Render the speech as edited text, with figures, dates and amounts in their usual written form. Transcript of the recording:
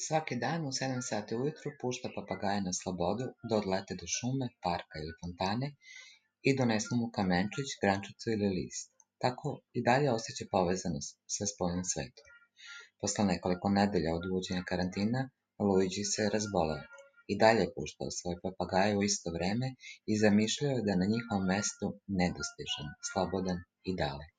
Svaki dan u 7 sati ujutru pušta papagaje na slobodu da odlete do šume, parka ili fontane i donesu mu kamenčić, grančicu ili list. Tako i dalje osjeća povezanost sa spoljnim svetom. Posle nekoliko nedelja od uvođenja karantina, Luigi se razboleo. I dalje je puštao svoje papagaje u isto vreme i zamišljao je da je na njihovom mestu nedostižan, slobodan i dalek.